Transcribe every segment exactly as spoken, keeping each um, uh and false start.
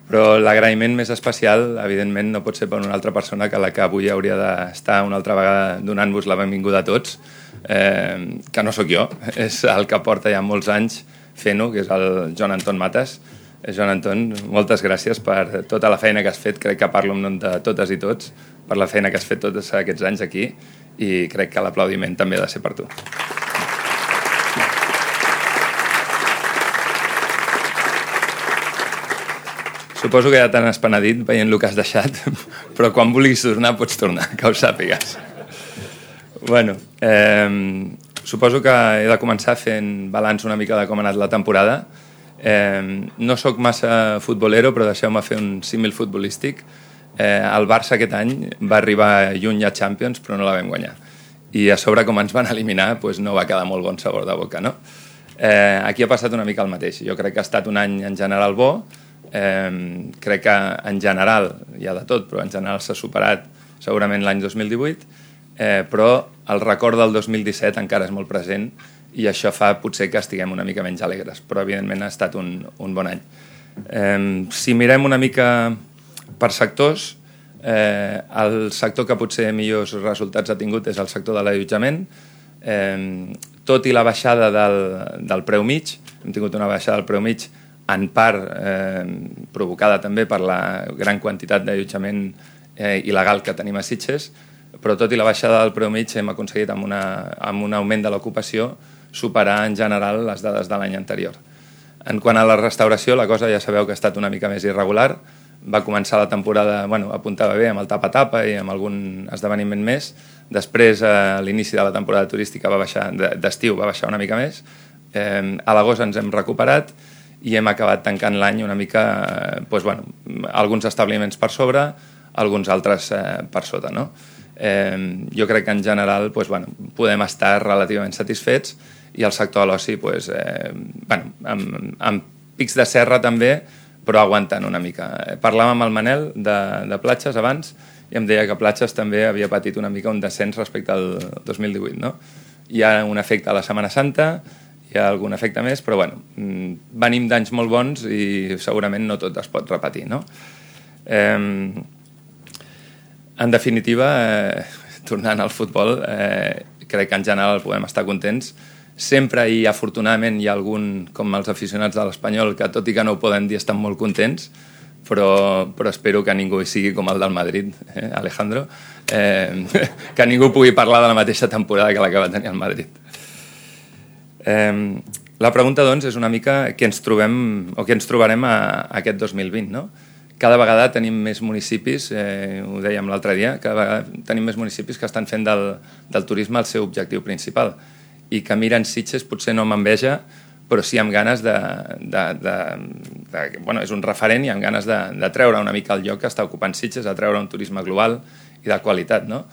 Però l'agraïment més especial, evidentment, no pot ser per una altra persona que la que avui hauria d'estar una altra vegada donant-vos la benvinguda a tots, eh, que no sóc jo, és el que porta ja molts anys fent-ho, que és el Joan Anton Matas. Joan Anton, moltes gràcies per tota la feina que has fet, crec que parlo en nom de totes i tots, per la feina que has fet tots aquests anys aquí, i crec que l'aplaudiment també ha de ser per tu. Suposo que ja t'han espenedit veient el que has deixat, però quan vulguis tornar pots tornar, que ho sàpigues. Bueno, eh, suposo que he de començar fent balanç una mica de com ha anat la temporada. Eh, no sóc massa futbolero, però deixeu-me fer un símil futbolístic. Eh, el Barça aquest any va arribar lluny a Champions, però no la vam guanyar. I a sobre, com ens van eliminar, doncs no va quedar molt bon sabor de boca, no? Eh, aquí ha passat una mica el mateix. Jo crec que ha estat un any en general bo. Eh, crec que en general, hi ha de tot, però en general s'ha superat segurament l'any dos mil divuit, eh, però el record del dos mil disset encara és molt present i això fa potser que estiguem una mica menys alegres, però evidentment ha estat un, un bon any. Eh, si mirem una mica per sectors, eh, el sector que potser millors resultats ha tingut és el sector de l'allotjament. Eh, tot i la baixada del, del preu mig, hem tingut una baixada del preu mig en part eh, provocada també per la gran quantitat d'allotjament eh, il·legal que tenim a Sitges, però tot i la baixada del preu mig hem aconseguit amb, una, amb un augment de l'ocupació superar en general les dades de l'any anterior. En quant a la restauració, la cosa ja sabeu que ha estat una mica més irregular. Va començar la temporada, bueno, apuntava bé amb el tapa-tapa i amb algun esdeveniment més. Després, a l'inici de la temporada turística va baixar, d'estiu va baixar una mica més. Eh, a l'agost ens hem recuperat i hem acabat tancant l'any una mica, eh, doncs, bueno, alguns establiments per sobre, alguns altres eh, per sota, no? Eh, jo crec que en general doncs, bueno, podem estar relativament satisfets i el sector de l'oci doncs, eh, bueno, amb, amb pics de serra també, però aguantant una mica. Parlàvem amb el Manel de, de platges abans i em deia que platges també havia patit una mica un descens respecte al dos mil divuit, no? Hi ha un efecte a la Setmana Santa, hi ha algun efecte més, però bueno, venim d'anys molt bons i segurament no tot es pot repetir, no? Eh, en definitiva, eh, tornant al futbol, eh, crec que en general podem estar contents. Sempre i afortunadament hi ha algun, com els aficionats de l'Espanyol, que tot i que no ho poden dir estan molt contents, però, però espero que ningú sigui com el del Madrid, eh, Alejandro, eh, que ningú pugui parlar de la mateixa temporada que la que va tenir el Madrid. Eh, la pregunta, doncs, és una mica què ens trobem o què ens trobarem a, a aquest dos mil vint, no? Cada vegada tenim més municipis, eh, ho dèiem l'altre dia, cada vegada tenim més municipis que estan fent del, del turisme el seu objectiu principal i que miren Sitges potser no amb enveja, però sí amb ganes de... de, de, de bueno, és un referent i amb ganes de, de treure una mica el lloc que està ocupant Sitges, a treure un turisme global i de qualitat, no?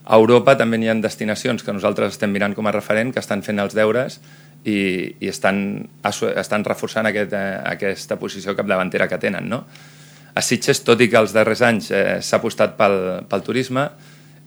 A Europa també hi ha destinacions que nosaltres estem mirant com a referent, que estan fent els deures i, i estan, estan reforçant aquest, eh, aquesta posició capdavantera que tenen, no? A Sitges, tot i que els darrers anys eh, s'ha apostat pel, pel turisme,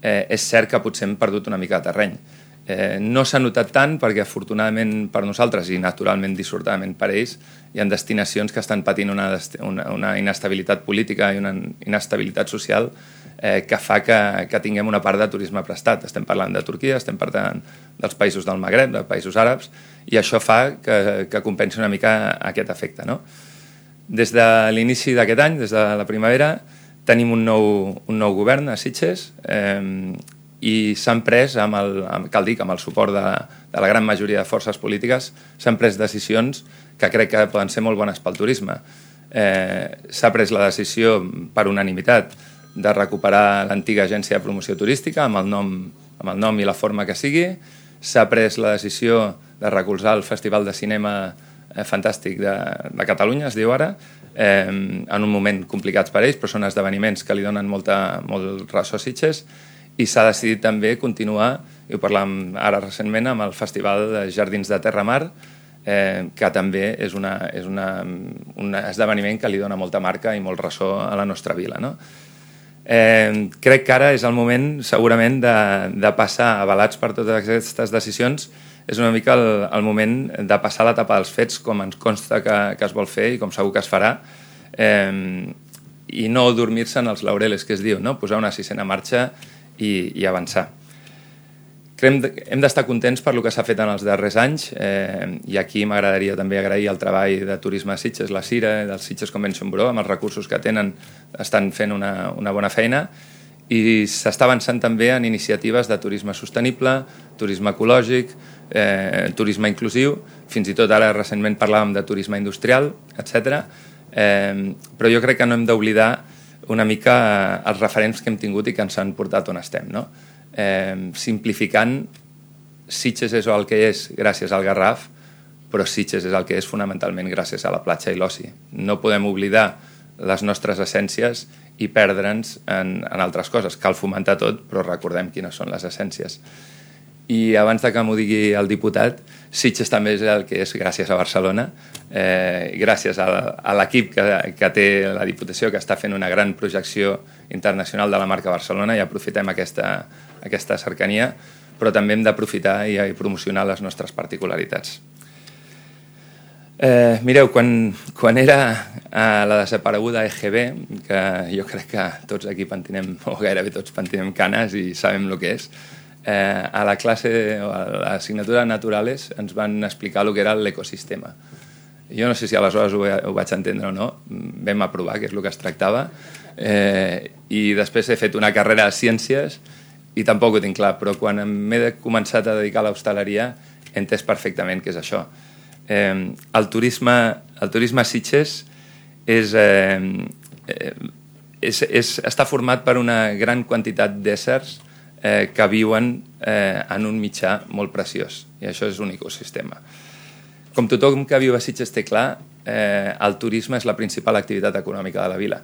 eh, és cert que potser hem perdut una mica de terreny. Eh, no s'ha notat tant perquè afortunadament per nosaltres i naturalment dissortadament per ells hi ha destinacions que estan patint una, una, una inestabilitat política i una inestabilitat social eh, que fa que, que tinguem una part de turisme prestat. Estem parlant de Turquia, estem parlant dels països del Magreb, dels països àrabs, i això fa que, que compensi una mica aquest efecte, no? Des de l'inici d'aquest any, des de la primavera, tenim un nou, un nou govern a Sitges eh, i s'han pres, amb el, amb, cal dir que amb el suport de, de la gran majoria de forces polítiques, s'han pres decisions que crec que poden ser molt bones pel turisme. Eh, s'ha pres la decisió per unanimitat de recuperar l'antiga agència de promoció turística amb el nom, amb el nom i la forma que sigui. S'ha pres la decisió de recolzar el Festival de Cinema eh, Fantàstic de, de Catalunya, es diu ara, eh, en un moment complicats per ells, però són esdeveniments que li donen molta, molt ressò a Sitges, i s'ha decidit també continuar, i ho parlàvem ara recentment, amb el Festival de Jardins de Terramar, eh, que també és, una, és una, un esdeveniment que li dona molta marca i molt ressò a la nostra vila, no? Eh, crec que ara és el moment segurament de, de passar, avalats per totes aquestes decisions, és una mica el, el moment de passar l'etapa dels fets, com ens consta que, que es vol fer i com segur que es farà, eh, i no dormir-se en els laureles, que es diu, no? Posar una sisena marxa i, i avançar. Hem d'estar contents per el que s'ha fet en els darrers anys eh, i aquí m'agradaria també agrair el treball de Turisme a Sitges, la Cira, del Sitges Convention Bureau, amb els recursos que tenen estan fent una, una bona feina i s'està avançant també en iniciatives de turisme sostenible, turisme ecològic, eh, turisme inclusiu, fins i tot ara recentment parlàvem de turisme industrial, etcètera. Eh, però jo crec que no hem d'oblidar una mica els referents que hem tingut i que ens han portat on estem, no? Eh, simplificant, Sitges és el que és gràcies al Garraf, però Sitges és el que és fonamentalment gràcies a la platja i l'oci. No podem oblidar les nostres essències i perdre'ns en, en altres coses. Cal fomentar tot, però recordem quines són les essències. I abans de que m'ho digui el diputat, Sitges també és el que és gràcies a Barcelona, eh, gràcies a, a l'equip que, que té la Diputació, que està fent una gran projecció internacional de la marca Barcelona, i aprofitem aquesta, aquesta cercania, però també hem d'aprofitar i, i promocionar les nostres particularitats. Eh, mireu, quan, quan era a la desapareguda E G B, que jo crec que tots aquí pentinem, o gairebé tots pentinem canes i sabem el que és, eh, a la classe, o a l'assignatura de Naturales, ens van explicar el que era l'ecosistema. Jo no sé si aleshores ho, ho vaig entendre o no, vam aprovar què és el que es tractava, eh, i després he fet una carrera de ciències i tampoc ho tinc clar, però quan m'he començat a dedicar a l'hostaleria he entès perfectament què és això. Eh, el, turisme, el turisme a Sitges és, eh, és, és, està format per una gran quantitat d'éssers eh, que viuen eh, en un mitjà molt preciós, i això és un ecosistema. Com tothom que viu a Sitges té clar, eh, el turisme és la principal activitat econòmica de la vila.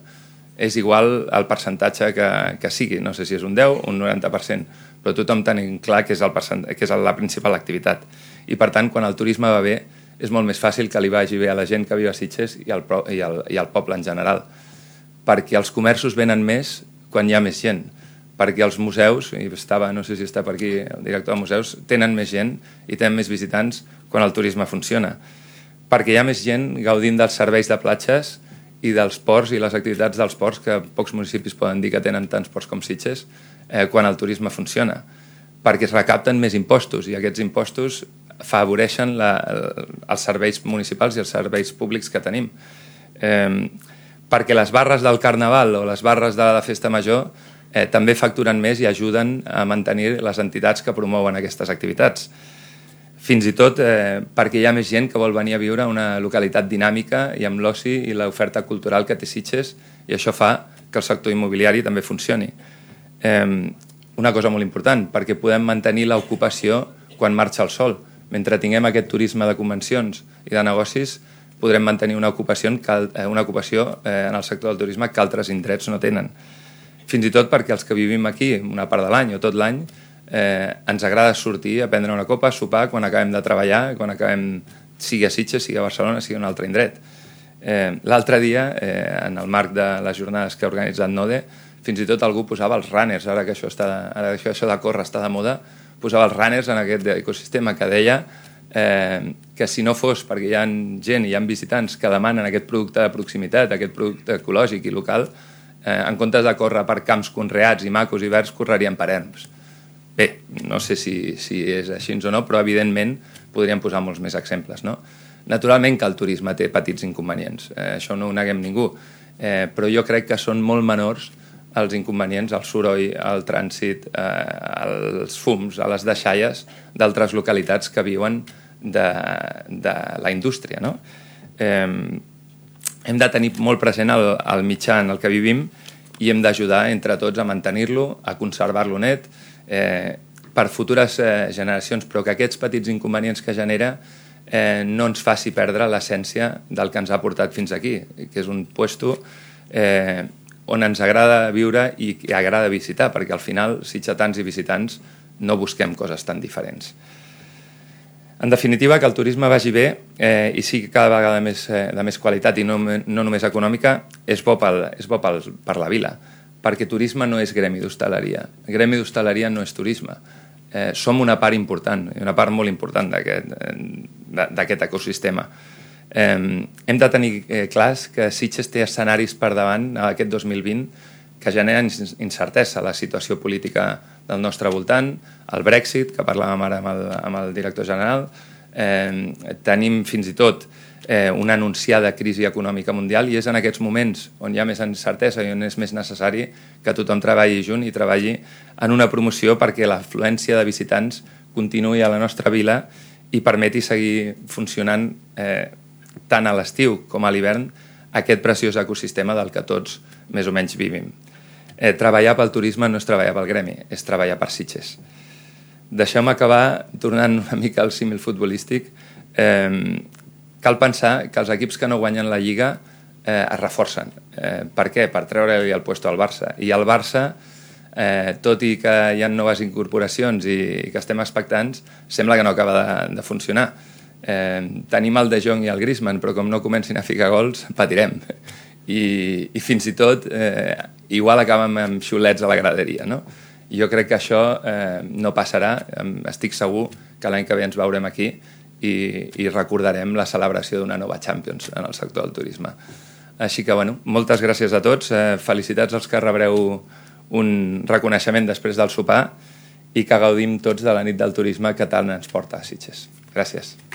És igual el percentatge que, que sigui, no sé si és un deu o un noranta per cent, però tothom tenim clar que és, el que és la principal activitat. I per tant, quan el turisme va bé, és molt més fàcil que li vagi bé a la gent que viu a Sitges i al, i al, i al poble en general. Perquè els comerços venen més quan hi ha més gent. Perquè els museus, i estava, no sé si està per aquí el director de museus, tenen més gent i tenen més visitants quan el turisme funciona. Perquè hi ha més gent gaudint dels serveis de platges i dels ports i les activitats dels ports, que pocs municipis poden dir que tenen tants ports com Sitges, eh, quan el turisme funciona. Perquè es recapten més impostos i aquests impostos afavoreixen la, els serveis municipals i els serveis públics que tenim. Eh, perquè les barres del Carnaval o les barres de la Festa Major eh, també facturen més i ajuden a mantenir les entitats que promouen aquestes activitats. Fins i tot eh, perquè hi ha més gent que vol venir a viure a una localitat dinàmica i amb l'oci i l'oferta cultural que té Sitges, i això fa que el sector immobiliari també funcioni. Eh, una cosa molt important, perquè podem mantenir l'ocupació quan marxa el sol. Mentre tinguem aquest turisme de convencions i de negocis, podrem mantenir una ocupació, una ocupació eh, en el sector del turisme que altres indrets no tenen. Fins i tot perquè els que vivim aquí una part de l'any o tot l'any eh, ens agrada sortir a prendre una copa, a sopar quan acabem de treballar, quan acabem, sigui a Sitges, sigui a Barcelona, sigui a un altre indret. Eh, L'altre dia, eh, en el marc de les jornades que ha organitzat Node, fins i tot algú posava els runners, ara que això, està, ara que això de córrer està de moda, posava els runners en aquest ecosistema, que deia eh, que si no fos perquè hi ha gent i hi ha visitants que demanen aquest producte de proximitat, aquest producte ecològic i local, eh, en comptes de córrer per camps conreats i macos i verds, correrien per erms. Bé, no sé si, si és així o no, però evidentment podríem posar molts més exemples, no? Naturalment que el turisme té petits inconvenients, eh, això no ho neguem ningú, eh, però jo crec que són molt menors els inconvenients, el soroll, el trànsit, eh, els fums, a les deixalles d'altres localitats que viuen de, de la indústria, no? Eh, hem de tenir molt present el, el mitjà en el que vivim i hem d'ajudar entre tots a mantenir-lo, a conservar-lo net, eh, per futures eh, generacions, però que aquests petits inconvenients que genera eh, no ens faci perdre l'essència del que ens ha portat fins aquí, que és un puesto eh, on ens agrada viure i agrada visitar, perquè al final, sitgetans i visitants, no busquem coses tan diferents. En definitiva, que el turisme vagi bé eh, i sigui cada vegada més, eh, de més qualitat i no, no només econòmica, és bo, pel, és bo pel, per la vila, perquè turisme no és gremi d'hostaleria. Gremi d'hostaleria no és turisme. Eh, som una part important, una part molt important d'aquest ecosistema. Eh, hem de tenir eh, clars que Sitges té escenaris per davant aquest dos mil vint que generen incertesa, la situació política del nostre voltant, el Brexit, que parlàvem ara amb el, amb el director general, eh, tenim fins i tot eh, una anunciada crisi econòmica mundial i és en aquests moments on hi ha més incertesa i on és més necessari que tothom treballi junt i treballi en una promoció perquè l'afluència de visitants continuï a la nostra vila i permeti seguir funcionant eh, tant a l'estiu com a l'hivern aquest preciós ecosistema del que tots més o menys vivim. Eh, treballar pel turisme no és treballar pel gremi, és treballar per Sitges. Deixeu-me acabar tornant una mica al símil futbolístic. Eh, cal pensar que els equips que no guanyen la Lliga eh, es reforcen. Eh, per què? Per treure-li el puesto al Barça. I el Barça, eh, tot i que hi ha noves incorporacions i, i que estem expectants, sembla que no acaba de, de funcionar. Eh, tenim el De Jong i el Griezmann, però com no comencin a ficar gols, patirem. I, i fins i tot eh, igual acabem amb xulets a la graderia, no? I jo crec que això eh, no passarà. Estic segur que l'any que ve ens veurem aquí i, i recordarem la celebració d'una nova Champions en el sector del turisme. Així que, bueno, moltes gràcies a tots. Eh, felicitats als que rebreu un reconeixement després del sopar i que gaudim tots de la nit del turisme que tant ens porta a Sitges. Gràcies.